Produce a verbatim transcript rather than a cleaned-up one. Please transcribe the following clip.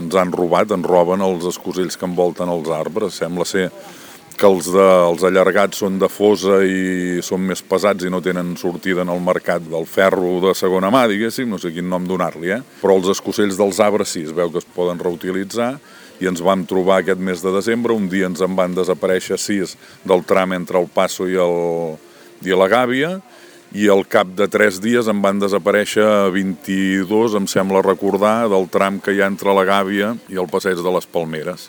ens han robat, ens roben els escosells que envolten els arbres. Sembla ser que els, de, els allargats són de fosa i són més pesats i no tenen sortida en el mercat del ferro de segona mà, diguéssim, no sé quin nom donar-li, eh? Però els escosells dels arbres sí, es veu que es poden reutilitzar i ens vam trobar aquest mes de desembre, un dia ens en van desaparèixer sis del tram entre el Passo i, el, i la Gàbia, i al cap de tres dies en van desaparèixer vint-i-dos, em sembla recordar, del tram que hi ha entre la Gàbia i el Passeig de les Palmeres.